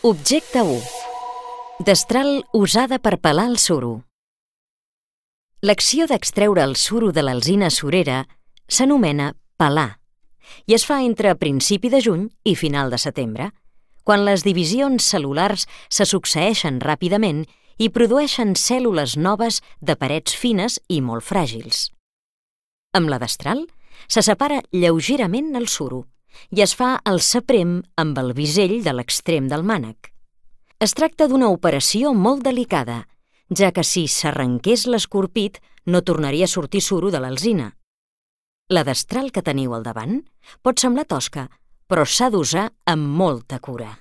Objecte 1. Destral usada per pelar el suro. L'acció d'extreure el suro de l'alzina surera s'anomena pelar i es fa entre principi de juny i final de setembre, quan les divisions cel·lulars se succeeixen ràpidament i produeixen cèl·lules noves de parets fines i molt fràgils. Amb la destral se separa lleugerament el suro i es fa el saprem amb el bisell de l'extrem del mànec. Es tracta d'una operació molt delicada, ja que si s'arrenqués l'escorpit no tornaria a sortir suro de l'alzina. La destral que teniu al davant pot semblar tosca, però s'ha d'usar amb molta cura.